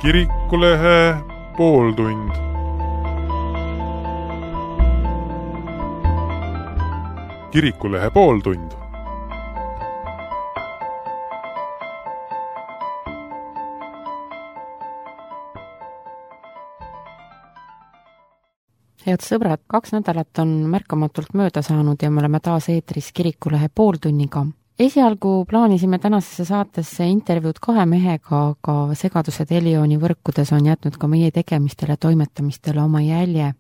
Kirikulehe pooltund. Kirikulehe pooltund. Head sõbrad, 2 nädalat on märkamatult mööda saanud ja me oleme taas eetris Kirikulehe pooltunniga. Esialgu plaanisime tänasesse saatesse intervjuud 2 mehega, aga segadused Elioni võrkudes on jätnud ka meie tegemistele toimetamistele oma jälje.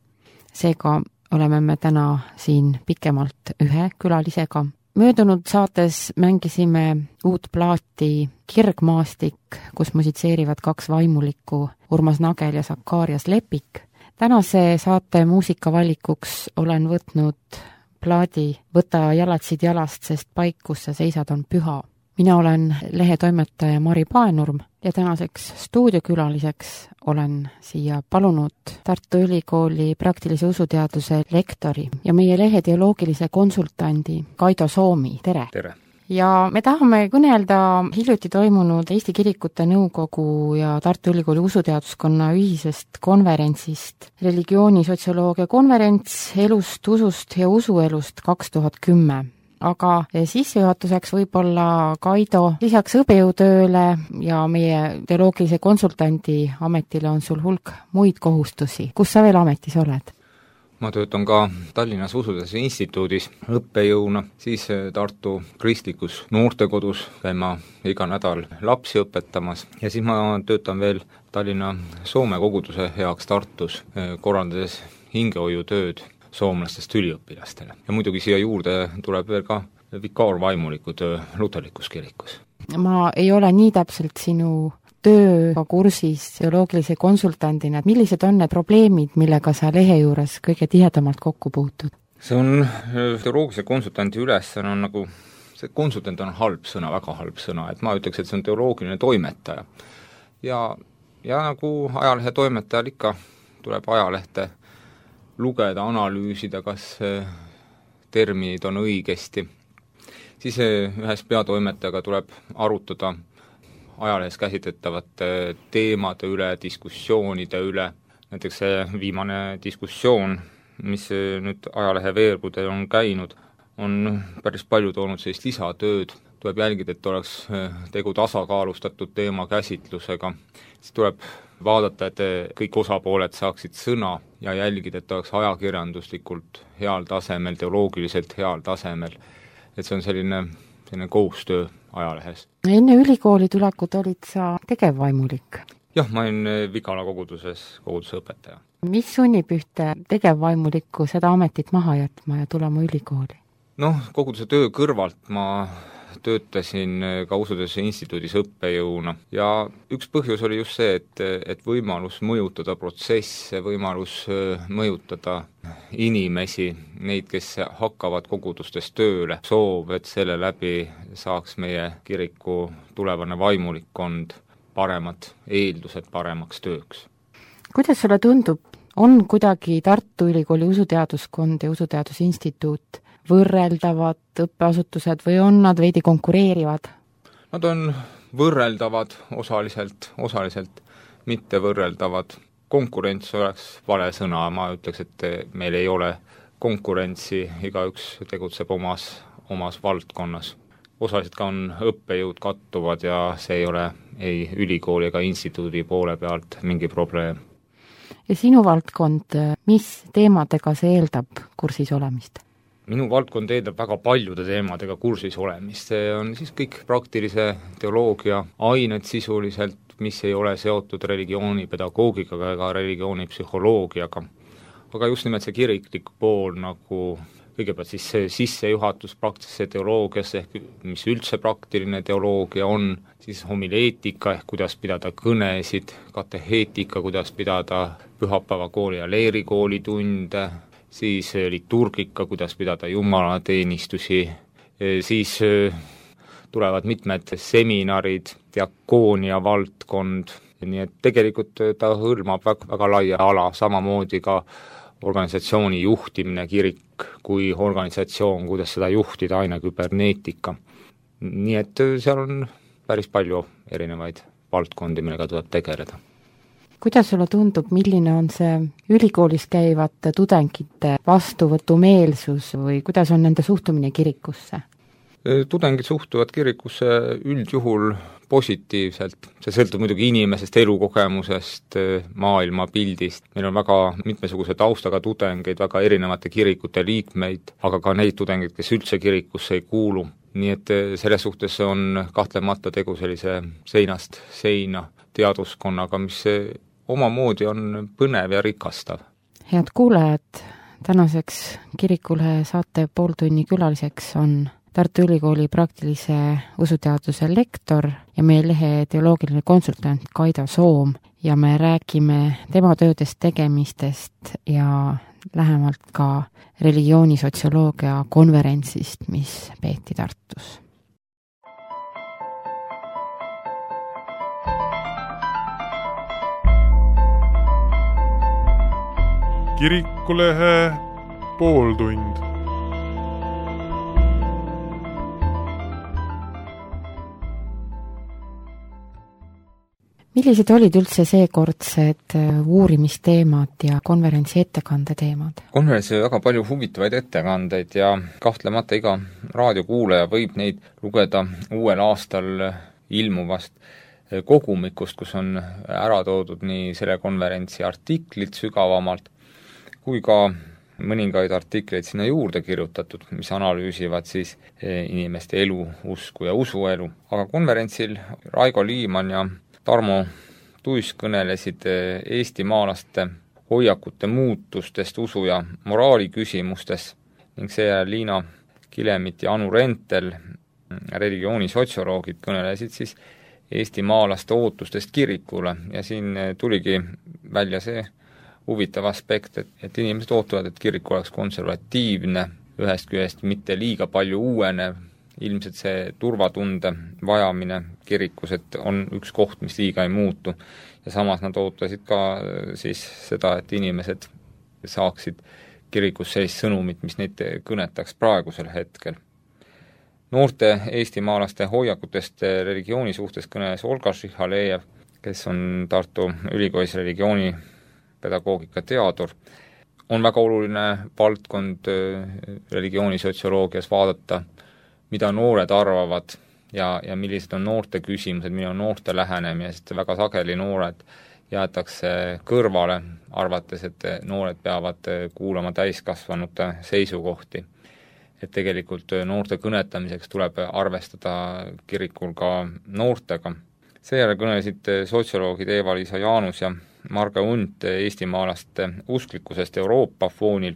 Seega oleme me täna siin pikemalt 1 külalisega. Möödunud saates mängisime uut plaati Kirgmaastik, kus musitseerivad 2 vaimulikku, Urmas Nagel ja Sakarias Lepik. Tänase saate muusikavalikuks olen võtnud plaadi Võta jalatsid jalast, sest paik, kus sa seisad, on püha. Mina olen lehetoimetaja Mari Paenurm ja tänaseks stuudiokülaliseks olen siia palunud Tartu Ülikooli praktilise usuteaduse lektori ja meie lehe teoloogilise konsultandi Kaido Soomi. Tere! Tere! Ja me tahame kõnelda hiljuti toimunud Eesti Kirikute Nõukogu ja Tartu Ülikooli usuteaduskonna ühisest konverentsist, religioonisotsioloogia konverents elust, usust ja usuelust 2010. Aga sissejuhatuseks võib-olla, Kaido, lisaks õppejõutööle ja meie teoloogilise konsultandi ametile on sul hulk muid kohustusi. Kus sa veel ametis oled? Ma töötan ka Tallinnas Usuteaduse Instituudis õppejõuna, siis Tartu kristlikus noortekodus käima iga nädal lapsi õpetamas ja siis ma töötan veel Tallinna Soome koguduse heaks Tartus, korraldades hingehoiutööd soomlastest üliõpilastele. Ja muidugi siia juurde tuleb veel ka vikaarvaimuliku töö luterlikus kirikus. Ma ei ole nii täpselt sinu tööga kursis teoloogilise konsultandina, et millised on need probleemid, millega sa lehe juures kõige tihedamalt kokku puutud? See on teoloogilise konsultandi ülesanne on nagu, see konsultant on halb sõna, väga halb sõna, et ma ütleks, et see on teoloogiline toimetaja. Ja nagu ajalehe toimetajal ikka tuleb ajalehte lugeda, analüüsida, kas terminid on õigesti. Siis ühes peatoimetajaga tuleb arutada ajalehes käsitletavate teemade üle, diskussioonide üle. Näiteks see viimane diskussioon, mis nüüd ajalehe veergudel on käinud, on päris palju toonud sellist lisatööd. Tuleb jälgida, et oleks tegu tasakaalustatud teema käsitlusega. Siis tuleb vaadata, et kõik osapooled saaksid sõna ja jälgida, et oleks ajakirjanduslikult heal tasemel, teoloogiliselt heal tasemel. Et see on selline koostöö ajalehes. Enne ülikooli tulekut olid sa tegevvaimulik? Jah, ma olin Vigala koguduse õpetaja. Mis sunnib ühte tegevvaimulikku seda ametit maha jätma ja tulema ülikooli? Koguduse töö kõrvalt ma töötasin ka Usuteaduse Instituudis õppejõuna ja üks põhjus oli just see, et võimalus mõjutada protsesse, võimalus mõjutada inimesi, neid, kes hakkavad kogudustes tööle, soov, et selle läbi saaks meie kiriku tulevane vaimulikkond paremad eeldused paremaks tööks. Kuidas sulle tundub, on kuidagi Tartu Ülikooli usuteaduskond ja Usuteaduse Instituut võrreldavad õppeasutused või on nad veidi konkureerivad? Nad on võrreldavad osaliselt mitte võrreldavad. Konkurents oleks vale sõna, ma ütleks, et meil ei ole konkurentsi, igaüks tegutseb omas valdkonnas. Osaliselt ka on õppejõud kattuvad ja see ei ole ei ülikooli ega instituudi poole pealt mingi probleem. Ja sinu valdkond, mis teemadega see eeldab kursis olemist? Minu valdkond eeldab väga paljude teemadega kursis olemist. See on siis kõik praktilise teoloogia ained sisuliselt, mis ei ole seotud religioonipedagoogikaga ega religioonipsühholoogiaga. Aga just nimelt see kiriklik pool nagu kõigepealt siis see sissejuhatus praktilisse teoloogiasse, ehk mis üldse praktiline teoloogia on, siis homileetika ehk kuidas pidada kõnesid, kateheetika, kuidas pidada pühapäevakooli ja leerikooli tunde, siis liturgika, kuidas pidada jumalateenistusi, siis tulevad mitmed seminarid, diakoonia valdkond, nii et tegelikult ta hõlmab väga laia ala, samamoodi ka organisatsiooni juhtimine, kirik kui organisatsioon, kuidas seda juhtida, aina küberneetika. Nii et seal on päris palju erinevaid valdkondi, millega tuleb tegeleda. kuidas sulle tundub, milline on see ülikoolis käivate tudengite vastuvõtumeelsus või kuidas on nende suhtumine kirikusse? Tudengid suhtuvad kirikusse üldjuhul positiivselt, see sõltub muidugi inimesest, elukogemusest, maailmapildist, meil on väga mitmesuguse taustaga tudengeid, väga erinevate kirikute liikmeid, aga ka neid tudengeid, kes üldse kirikusse ei kuulu, nii et selles suhtes on kahtlemata tegu sellise seinast seina teaduskonnaga, mis omamoodi on põnev ja rikastav. Head kuulajad, tänaseks Kirikulehe saate pooltunni külaliseks on Tartu Ülikooli praktilise usuteaduse lektor ja meie lehe teoloogiline konsultant Kaido Soom ja me räägime tema töödest, tegemistest ja lähemalt ka religioonisotsioloogia konverentsist, mis peeti Tartus. Kirikulehe pooltund. Millised olid üldse seekordsed uurimisteemad ja konverentsi ettekandeteemad? Konverentsi oli väga palju huvitavaid ettekandeid ja kahtlemata iga raadiokuulaja võib neid lugeda uuel aastal ilmuvast kogumikust, kus on ära toodud nii selle konverentsi artiklid sügavamalt, kui ka mõningaid artikleid sinna juurde kirjutatud, mis analüüsivad siis inimeste elu, usku ja usuelu. Aga konverentsil Raigo Liiman ja Tarmo Tuis kõnelesid Eesti maalaste hoiakute muutustest usu ja moraali küsimustes ning seejärel Liina Kilemit ja Anu Rentel, religioonisotsioloogid, kõnelesid siis Eesti maalaste ootustest kirikule ja siin tuligi välja see huvitav aspekt, et inimesed ootavad, et kirik oleks konservatiivne, ühest küljest mitte liiga palju uuenev, ilmselt see turvatunde vajamine kirikus, et on üks koht, mis liiga ei muutu. Ja samas nad ootasid ka siis seda, et inimesed saaksid kirikus sellist sõnumit, mis neid kõnetaks praegusel hetkel. Noorte Eesti maalaste hoiakutest religiooni suhtes kõneles Olga Šihalejev, kes on Tartu Ülikoolis religioonipedagoogika teadur. On väga oluline valdkond religioonisotsioloogias vaadata, mida noored arvavad ja millised on noorte küsimused, milline on noorte lähenemine, sest väga sageli noored jäetakse kõrvale, arvates, et noored peavad kuulama täiskasvanute seisukohti. Et tegelikult noorte kõnetamiseks tuleb arvestada kirikul ka noortega. Seejärel kõnelesid sotsioloogid Eva-Liisa Jaanus ja Marge Unt Eesti maalaste usklikkusest Euroopa foonil.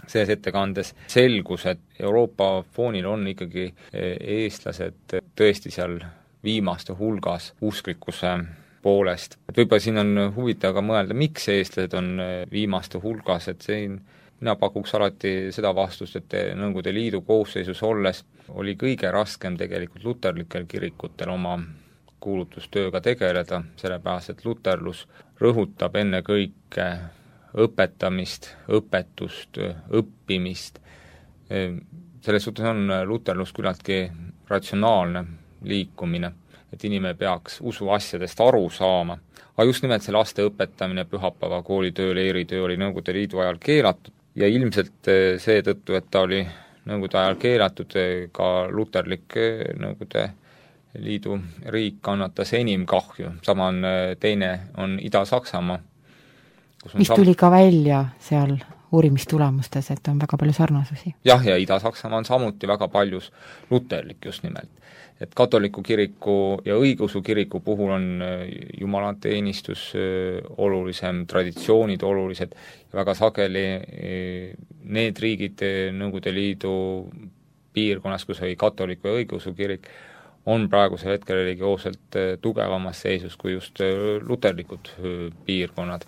Selles ettekandes selgus, et Euroopa foonil on ikkagi eestlased tõesti seal viimaste hulgas usklikkuse poolest. Et võib-olla siin on huvitav ka mõelda, miks eestlased on viimaste hulgas, et siin mina pakuks alati seda vastust, et Nõukogude Liidu koosseisus olles oli kõige raskem tegelikult luterlikel kirikutel oma kuulutustööga tegeleda, sellepärast et luterlus rõhutab ennekõike õpetamist, õpetust, õppimist. Selles suhtes on luterlus küllaltki ratsionaalne liikumine, et inimene peaks usuasjadest aru saama. Aga just nimelt see laste õpetamine, pühapäeva koolitöö, leiritöö oli Nõukogude Liidu ajal keelatud ja ilmselt seetõttu, et ta oli Nõukogude ajal keelatud, ka luterlik Nõukogude Liidu riik kannatas enim kahju. Sama on teine on Ida-Saksamaa, mis tuli ka välja seal uurimistulemustes, et on väga palju sarnasusi. Jah, ja Ida-Saksamaa on samuti väga paljus luterlik just nimelt. Et katoliku kiriku ja õigeusu kiriku puhul on jumalateenistus olulisem, traditsioonid olulised ja väga sageli need riigid Nõukogude Liidu piirkonnas, kus oli katoliku ja õigeusu kirik, on praegusel hetkel religioosselt tugevamas seisus kui just luterlikud piirkonnad.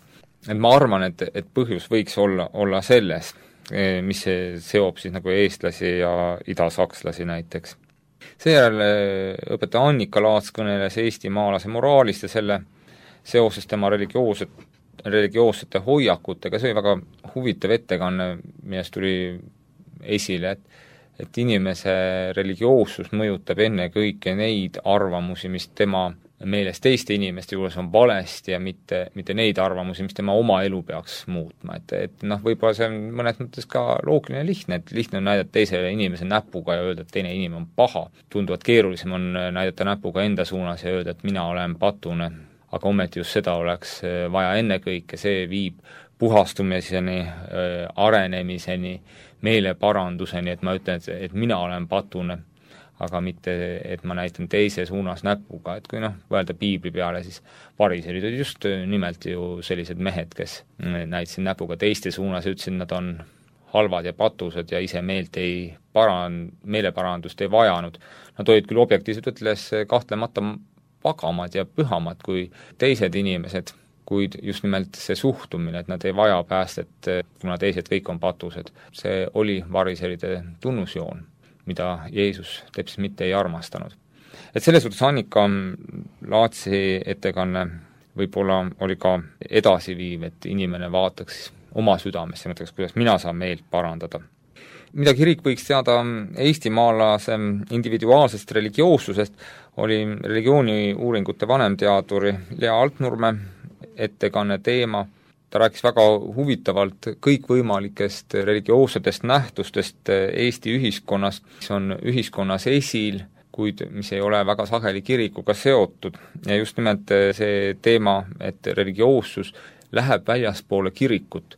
Et ma arvan, et põhjus võiks olla selles, mis seob siis nagu eestlasi ja idasakslasi näiteks. Seejärel õpetaja Annika Laats kõneles Eesti maalase moraalist ja selle seoses tema religioossete hoiakutega. See oli väga huvitav ettekanne, millest tuli esile, et inimese religioossus mõjutab ennekõike neid arvamusi, mis tema meelest teiste inimeste juures on valesti ja mitte neid arvamusi, mis tema oma elu peaks muutma, et võib-olla see on mõnes mõttes ka loogiline ja lihtne, et lihtne on näidata teisele inimese näpuga ja öelda, et teine inimene on paha. Tunduvalt keerulisem on näidata näpuga enda suunas ja öelda, et mina olen patune, aga ometi just seda oleks vaja ennekõike, see viib puhastumiseni, arenemiseni, meeleparanduseni, et ma ütlen, et mina olen patune, aga mitte, et ma näitan teise suunas näpuga, et kui võelda piibli peale, siis variserid olid just nimelt ju sellised mehed, kes näitasid näpuga teiste suunas ja ütlesid, nad on halvad ja patused ja ise meeleparandust ei vajanud. Nad olid küll objektiivselt ütles kahtlemata vagamad ja pühamad kui teised inimesed, kuid just nimelt see suhtumine, et nad ei vaja päästet, kuna teised kõik on patused. See oli variseride tunnusjoon, mida Jeesus teps mitte ei armastanud. Et selles suhtes Annika Laatsi ettekanne võib-olla oli ka edasiviiv, et inimene vaataks oma südamesse, mõtleks, kuidas mina saan meelt parandada. Mida kirik võiks teada eestimaalase individuaalsest religioossusest, oli religiooniuuringute vanemteaduri Lea Altnurme ettekanne teema. Ta rääkis väga huvitavalt kõikvõimalikest religioossetest nähtustest Eesti ühiskonnas, mis on ühiskonnas esil, kuid mis ei ole väga sageli kirikuga seotud. Ja just nimelt see teema, et religioossus läheb väljaspoole kirikut,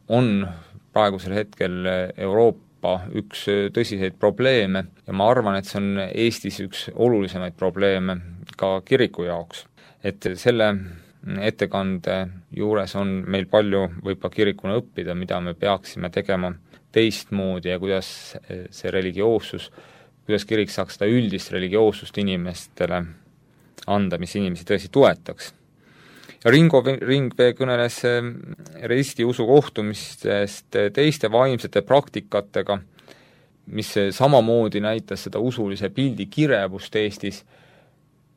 on praegusel hetkel Euroopa üks tõsiseid probleeme ja ma arvan, et see on Eestis üks olulisemaid probleeme ka kiriku jaoks. Et selle ettekande juures on meil palju võib-olla kirikuna õppida, mida me peaksime tegema teistmoodi ja kuidas see religioossus, kuidas kirik saaks seda üldist religioossust inimestele anda, mis inimesi tõesti toetaks. Ja Ringo Ringvee kõneles risti usu kohtumistest teiste vaimsete praktikatega, mis samamoodi näitas seda usulise pildi kirevust Eestis,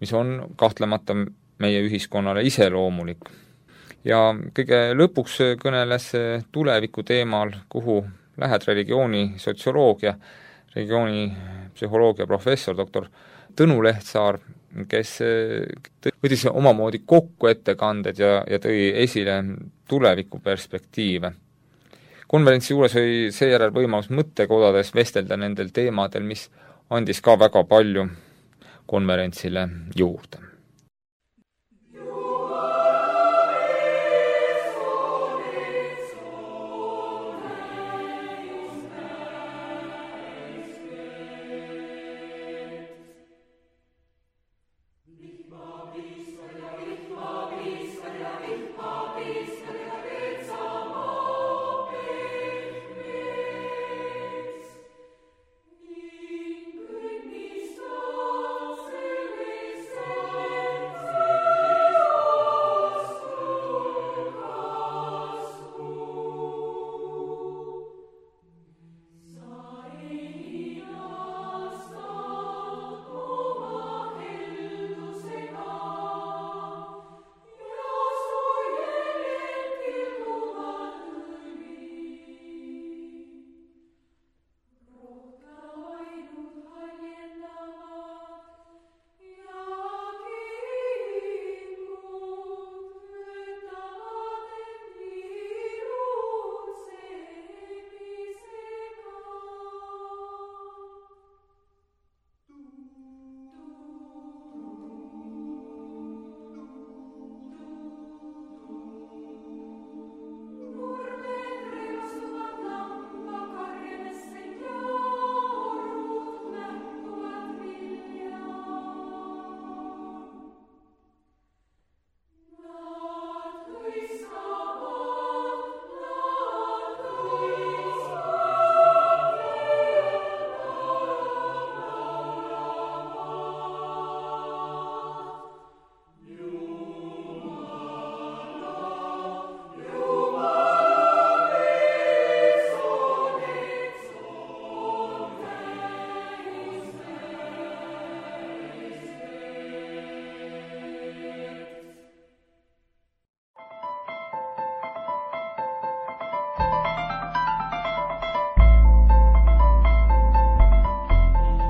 mis on kahtlemata meie ühiskonnale iseloomulik. Ja kõige lõpuks kõneles tuleviku teemal, kuhu lähed religiooni sotsioloogia, religiooni psühholoogia professor doktor Tõnu Lehtsaar, kes võttis omamoodi kokku ettekanded ja tõi esile tuleviku perspektiive. Konverentsi juures oli seejärel võimalus mõttekodades vestelda nendel teemadel, mis andis ka väga palju konverentsile juurde.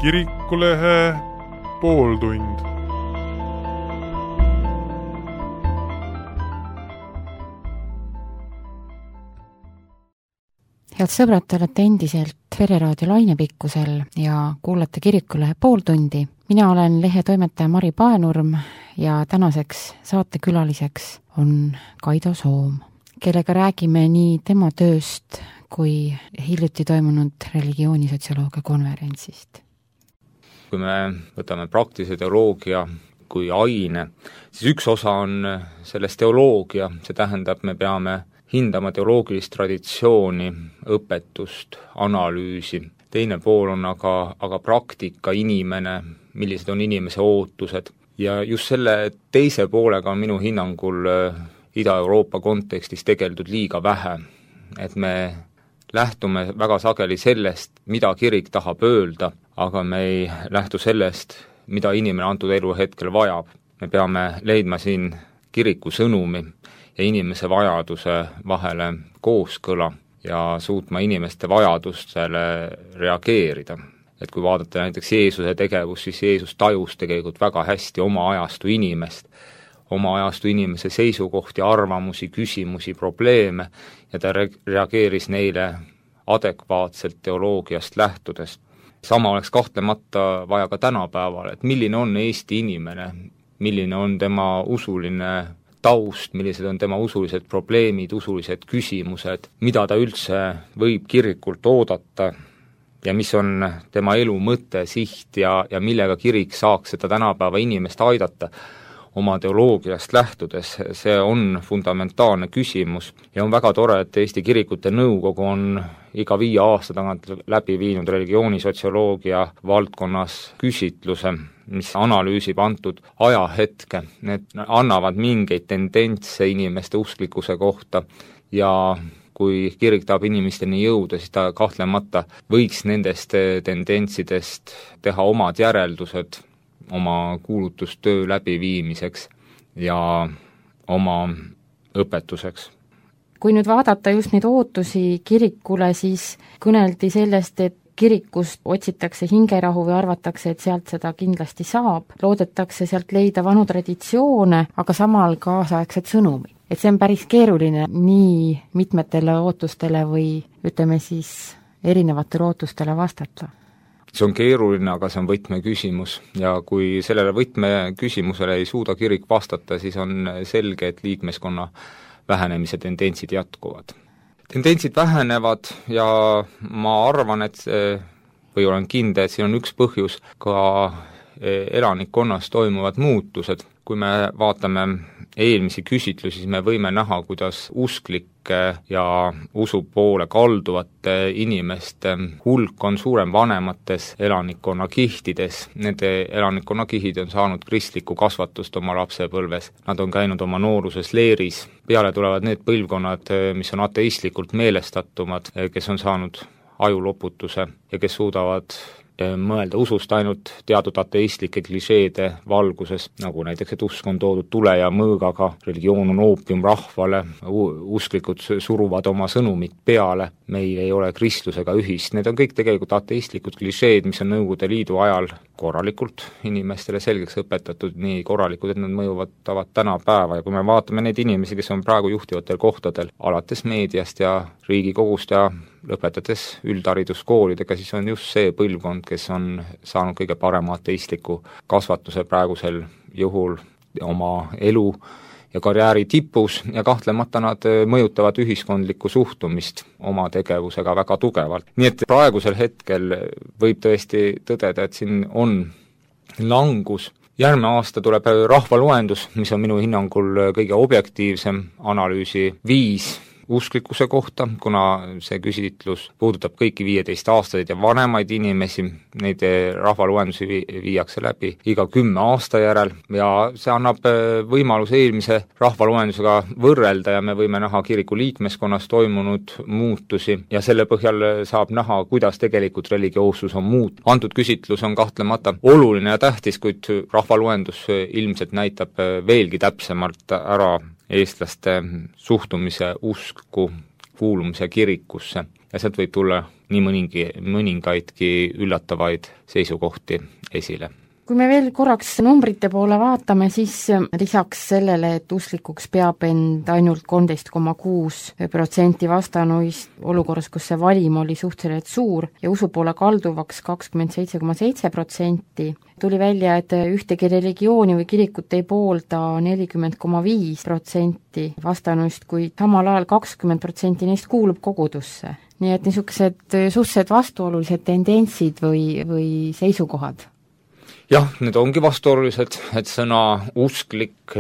Kirikulehe pooltund. Head sõbrad, te olete endiselt Vereraadio lainepikkusel ja kuulate Kirikulehe pooltundi. Mina olen lehe toimetaja Mari Paenurm ja tänaseks saatekülaliseks on Kaido Soom, kellega räägime nii tema tööst kui hiljuti toimunud religioonisotsioloogia konverentsist. Kui me võtame praktilise teoloogia kui aine, siis üks osa on sellest teoloogia, see tähendab, me peame hindama teoloogilist traditsiooni, õpetust, analüüsi. Teine pool on aga praktika, inimene, millised on inimese ootused. Ja just selle teise poolega on minu hinnangul Ida-Euroopa kontekstis tegeldud liiga vähe. Et me lähtume väga sageli sellest, mida kirik tahab öelda, aga me ei lähtu sellest, mida inimene antud elu hetkel vajab. Me peame leidma siin kiriku sõnumi ja inimese vajaduse vahele kooskõla ja suutma inimeste vajadustele reageerida. Et kui vaadata näiteks Jeesuse tegevust, siis Jeesus tajus tegelikult väga hästi oma ajastu inimese seisukohti, arvamusi, küsimusi, probleeme ja ta reageeris neile adekvaatselt teoloogiast lähtudes. Sama oleks kahtlemata vaja ka tänapäeval, et milline on Eesti inimene, milline on tema usuline taust, millised on tema usulised probleemid, usulised küsimused, mida ta üldse võib kirikult oodata ja mis on tema elu mõte, siht ja millega kirik saaks seda tänapäeva inimest aidata oma teoloogiast lähtudes. See on fundamentaalne küsimus ja on väga tore, et Eesti Kirikute Nõukogu on iga 5 aasta tagant läbi viinud religioonisotsioloogia valdkonnas küsitluse, mis analüüsib antud ajahetke. Need annavad mingeid tendentse inimeste usklikkuse kohta ja kui kirik tahab inimesteni jõuda, siis ta kahtlemata võiks nendest tendentsidest teha omad järeldused oma kuulutustöö läbiviimiseks ja oma õpetuseks. Kui nüüd vaadata just neid ootusi kirikule, siis kõneldi sellest, et kirikust otsitakse hingerahu või arvatakse, et sealt seda kindlasti saab. Loodetakse sealt leida vanu traditsioone, aga samal kaasaegset sõnumi. Et see on päris keeruline nii mitmetele ootustele või ütleme siis erinevatele ootustele vastata. See on keeruline, aga see on võtmeküsimus ja kui sellele võtmeküsimusele ei suuda kirik vastata, siis on selge, et liikmeskonna vähenemise tendentsid jätkuvad. Tendentsid vähenevad ja ma arvan, või olen kindel, et siin on üks põhjus ka elanikkonnas toimuvad muutused. Kui me vaatame eelmisi küsitlusi, siis me võime näha, kuidas usklike ja usu poole kalduvate inimeste hulk on suurem vanemates elanikkonna kihtides. Nende elanikkonna kihid on saanud kristlikku kasvatust oma lapsepõlves. Nad on käinud oma nooruses leeris. Peale tulevad need põlvkonnad, mis on ateistlikult meelestatumad, kes on saanud ajuloputuse ja kes suudavad mõelda usust ainult teatud ateistlike klišeede valguses, nagu näiteks, et usk on toodud tule ja mõõgaga, religioon on oopium rahvale, usklikud suruvad oma sõnumit peale, meil ei ole kristlusega ühist, need on kõik tegelikult ateistlikud klišeed, mis on Nõukogude Liidu ajal korralikult inimestele selgeks õpetatud, nii korralikud, et nad mõjuvad tänapäeva ja kui me vaatame neid inimesi, kes on praegu juhtivatel kohtadel, alates meediast ja Riigikogust ja lõpetades üldhariduskoolidega, siis on just see põlvkond, kes on saanud kõige parema ateistliku kasvatuse praegusel juhul oma elu ja karjääri tipus ja kahtlemata nad mõjutavad ühiskondlikku suhtumist oma tegevusega väga tugevalt. Nii et praegusel hetkel võib tõesti tõdeda, et siin on langus. Järgmine aasta tuleb rahvaloendus, mis on minu hinnangul kõige objektiivsem analüüsi viis usklikkuse kohta, kuna see küsitlus puudutab kõiki 15-aastaseid ja vanemaid inimesi, neid rahvaloendusi viiakse läbi iga 10 aasta järel ja see annab võimaluse eelmise rahvaloendusega võrrelda ja me võime näha kiriku liikmeskonnas toimunud muutusi ja selle põhjal saab näha, kuidas tegelikult religioossus on antud küsitlus on kahtlemata oluline ja tähtis, kuid rahvaloendus ilmselt näitab veelgi täpsemalt ära eestlaste suhtumise usku, kuulumise kirikusse ja sealt võib tulla nii mõningaidki üllatavaid seisukohti esile. Kui me veel korraks numbrite poole vaatame, siis lisaks sellele, et usklikuks peab end ainult 13,6% vastanuist olukorras, kus see valim oli suhteliselt suur ja usu poole kalduvaks 27,7%, tuli välja, et ühtegi religiooni või kirikut ei poolda 40,5% vastanuist, kuid samal ajal 20% neist kuulub kogudusse. Nii et niisugused suhteliselt vastuolulised tendentsid või seisukohad. Jah, need ongi vastuolulised, et sõna usklik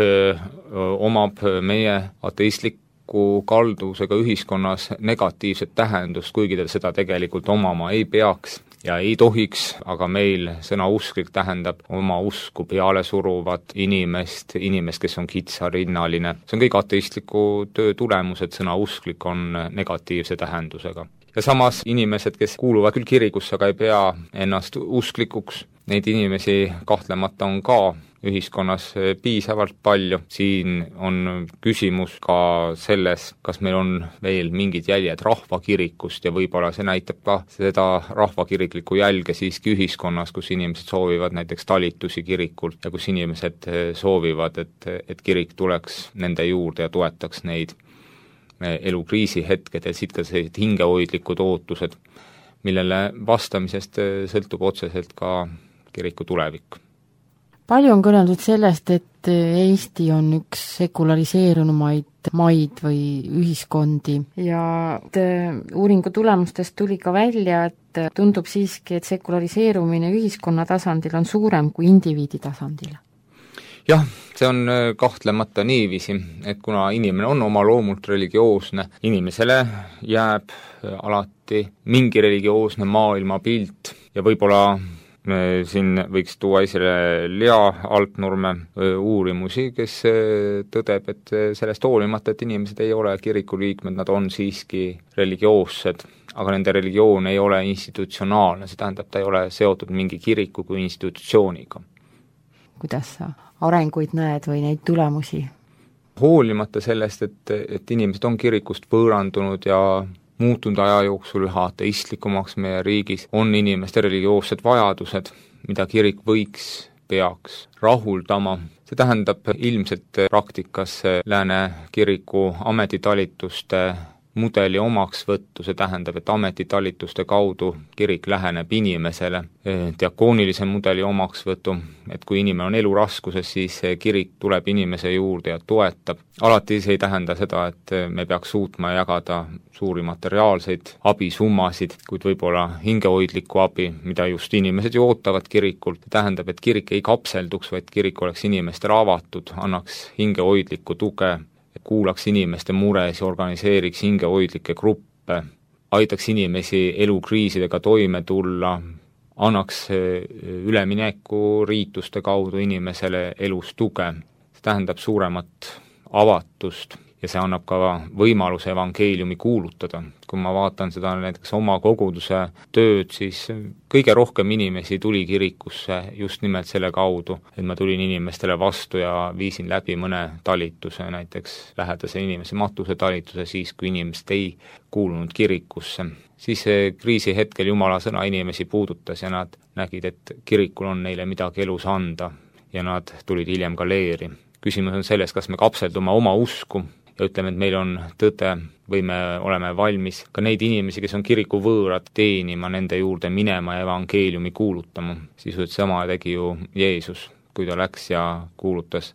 omab meie ateistliku kalduvusega ühiskonnas negatiivset tähendust, kuigi ta seda tegelikult omama ei peaks ja ei tohiks, aga meil sõna usklik tähendab oma usku peale suruvat inimest, kes on kitsarinnaline. See on kõik ateistliku töö tulemus, et sõna usklik on negatiivse tähendusega. Ja samas inimesed, kes kuuluvad küll kirikusse, aga ei pea ennast usklikuks, neid inimesi kahtlemata on ka ühiskonnas piisavalt palju. Siin on küsimus ka selles, kas meil on veel mingid jäljed rahvakirikust ja võib-olla see näitab ka seda rahvakiriklikku jälge siiski ühiskonnas, kus inimesed soovivad näiteks talitusi kirikult ja kus inimesed soovivad, et kirik tuleks nende juurde ja toetaks neid elukriisi hetked ja siit ka sellised hingehoidlikud ootused, millele vastamisest sõltub otseselt ka kiriku tulevik. Palju on kõneldud sellest, et Eesti on üks sekulariseerunumaid maid või ühiskondi ja uuringu tulemustest tuli ka välja, et tundub siiski, et sekulariseerumine ühiskonna tasandil on suurem kui indiviidi tasandil. Jah, see on kahtlemata niiviisi, et kuna inimene on oma loomult religioosne, inimesele jääb alati mingi religioosne maailmapilt ja võib-olla siin võiks tuua esile Lea Altnurme uurimusi, kes tõdeb, et sellest hoolimata, et inimesed ei ole kirikuliikmed, nad on siiski religioossed, aga nende religioon ei ole institutsionaalne, see tähendab, ta ei ole seotud mingi kiriku kui institutsiooniga. Kuidas sa arenguid näed või neid tulemusi? Hoolimata sellest, et inimesed on kirikust võõrandunud ja muutunud aja jooksul üha ateistlikumaks meie riigis, on inimeste religioossed vajadused, mida kirik peaks rahuldama. See tähendab ilmselt praktikas lääne kiriku ametitalituste mudeli omaksvõttu, see tähendab, et ametitalituste kaudu kirik läheneb inimesele, diakoonilise mudeli omaksvõtu, et kui inimene on eluraskuses, siis kirik tuleb inimese juurde ja toetab. Alati see ei tähenda seda, et me peaks suutma jagada suuri materiaalseid abisummasid, kuid võib-olla hingehoidlikku abi, mida just inimesed ju ootavad kirikult. See tähendab, et kirik ei kapselduks, vaid kirik oleks inimestele avatud, annaks hingehoidlikku tuge, kuulaks inimeste mures ja organiseeriks hingehoidlikke gruppe, aitaks inimesi elukriisidega toime tulla, annaks ülemineku riituste kaudu inimesele elus tuge. See tähendab suuremat avatust ja see annab ka võimaluse evangeeliumi kuulutada. Kui ma vaatan seda näiteks oma koguduse tööd, siis kõige rohkem inimesi tuli kirikusse just nimelt selle kaudu, et ma tulin inimestele vastu ja viisin läbi mõne talituse, näiteks lähedase inimese matusetalituse siis, kui inimesed ei kuulunud kirikusse. Siis kriisi hetkel Jumala sõna inimesi puudutas ja nad nägid, et kirikul on neile midagi elus anda ja nad tulid hiljem ka leeri. Küsimus on selles, kas me kapseldume oma usku ja ütleme, et meil on tõde või me oleme valmis ka neid inimesi, kes on kiriku võõrad, teenima, nende juurde minema ja evangeeliumi kuulutama. Sisuliselt sama tegi ju Jeesus, kui ta läks ja kuulutas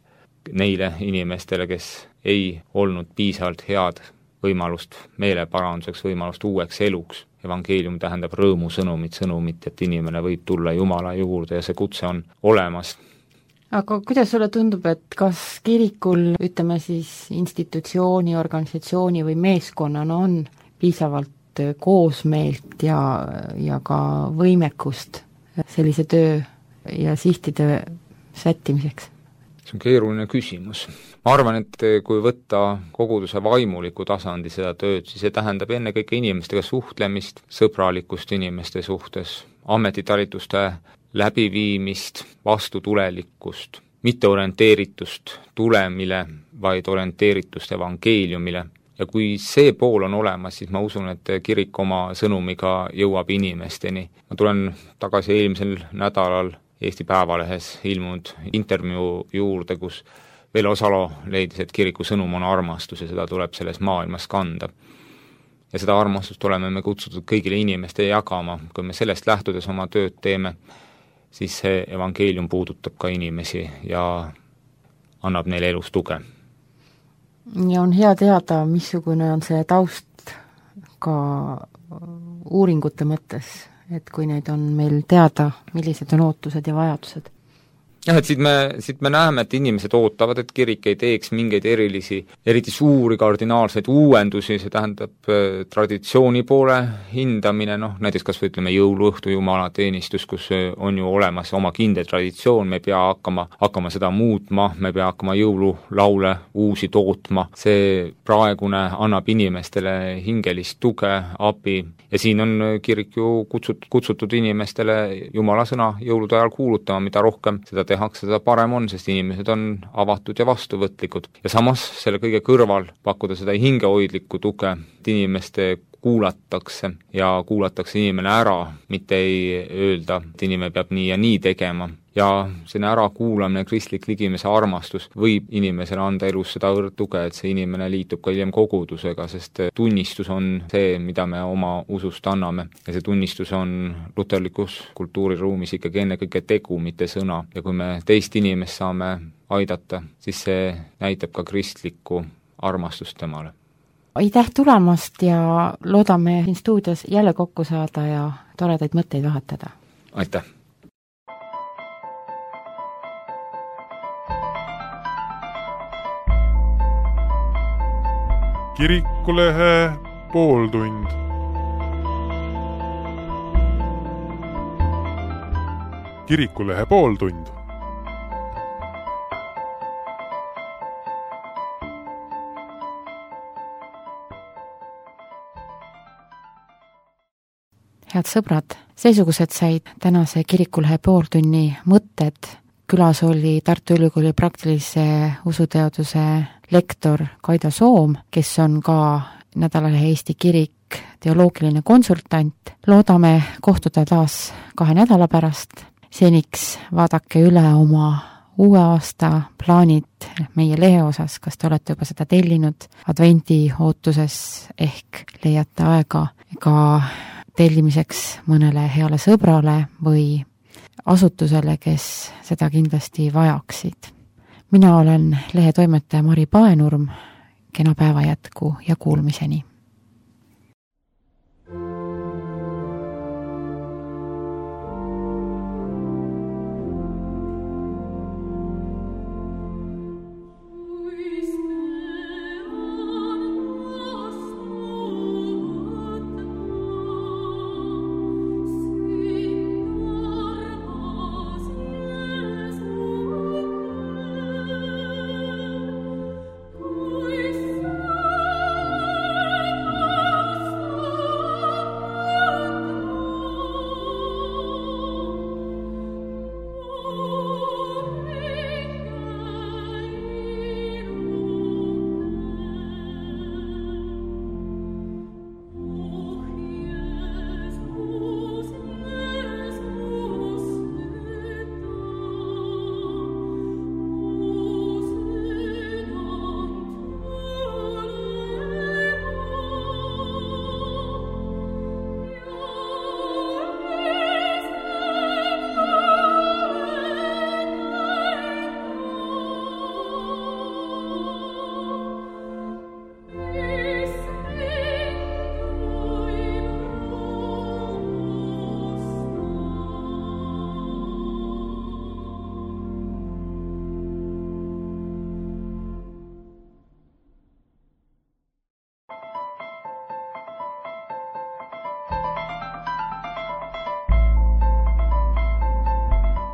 neile inimestele, kes ei olnud piisavalt head võimalust meeleparanduseks, võimalust uueks eluks. Evangeelium tähendab rõõmusõnumit, et inimene võib tulla Jumala juurde ja see kutse on olemas. Aga kuidas sulle tundub, et kas kirikul, ütleme siis institutsiooni, organisatsiooni või meeskonnana on piisavalt koosmeelt ja ka võimekust sellise töö ja sihtide sättimiseks? See on keeruline küsimus. Ma arvan, et kui võtta koguduse vaimuliku tasandi seda tööd, siis see tähendab ennekõike inimestega suhtlemist, sõbralikkust inimeste suhtes, ametitalituste läbiviimist, vastutulelikkust, mitte orienteeritust tulemile, vaid orienteeritust evangeeliumile ja kui see pool on olemas, siis ma usun, et kirik oma sõnumiga jõuab inimesteni. Ma tulen tagasi eelmisel nädalal Eesti Päevalehes ilmunud intervjuu juurde, kus Vello Salo leidis, et kiriku sõnum on armastus ja seda tuleb selles maailmas kanda. Ja seda armastust oleme me kutsutud kõigile inimestele jagama. Kui me sellest lähtudes oma tööd teeme, siis see evangeelium puudutab ka inimesi ja annab neile elus tuge. Ja on hea teada, missugune on see taust ka uuringute mõttes, et kui neid on meil teada, millised on ootused ja vajadused. Jah, et siit me näeme, et inimesed ootavad, et kirik ei teeks mingeid eriti suuri kardinaalseid uuendusi, see tähendab traditsiooni poole hindamine, näiteks kas või ütleme jõuluõhtu jumalateenistus, kus on ju olemas oma kindel traditsioon, me ei pea hakkama seda muutma, me ei pea hakkama jõululaule uusi tootma, see praegune annab inimestele hingelist tuge, abi ja siin on kirik ju kutsutud inimestele Jumala sõna jõulude ajal kuulutama, mida rohkem seda tehakse, seda parem on, sest inimesed on avatud ja vastuvõtlikud. Ja samas selle kõige kõrval pakkuda seda hingehoidlikku tuge, et inimeste kuulatakse ja kuulatakse inimene ära, mitte ei öelda, et inimene peab nii ja nii tegema. Ja see ärakuulamine, kristlik ligimese armastus võib inimesele anda elus seda tuge, et see inimene liitub ka hiljem kogudusega, sest tunnistus on see, mida me oma usust anname. Ja see tunnistus on luterlikus kultuuriruumis ikkagi ennekõike tegu, mitte sõna. Ja kui me teist inimest saame aidata, siis see näitab ka kristlikku armastust temale. Aitäh tulemast ja loodame siin stuudios jälle kokku saada ja toredaid mõtteid vahetada. Aitäh! Kirikulehe pooltund. Kirikulehe pooltund. Head sõbrad, seesugused said tänase Kirikulehe pooltunni mõtted. Külas oli Tartu Ülikooli praktilise usuteaduse lektor Kaido Soom, kes on ka nädalalehe Eesti Kirik teoloogiline konsultant. Loodame kohtuda taas 2 nädala pärast. Seniks vaadake üle oma uue aasta plaanid meie lehe osas, kas te olete juba seda tellinud advendi ootuses ehk leiate aega ka tellimiseks mõnele heale sõbrale või asutusele, kes seda kindlasti vajaksid. Mina olen lehe toimetaja Mari Paenurm, kena päeva jätku ja kuulmiseni.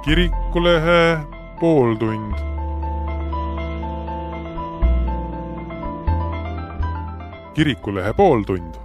Kirikulehe pooltund. Kirikulehe pooltund.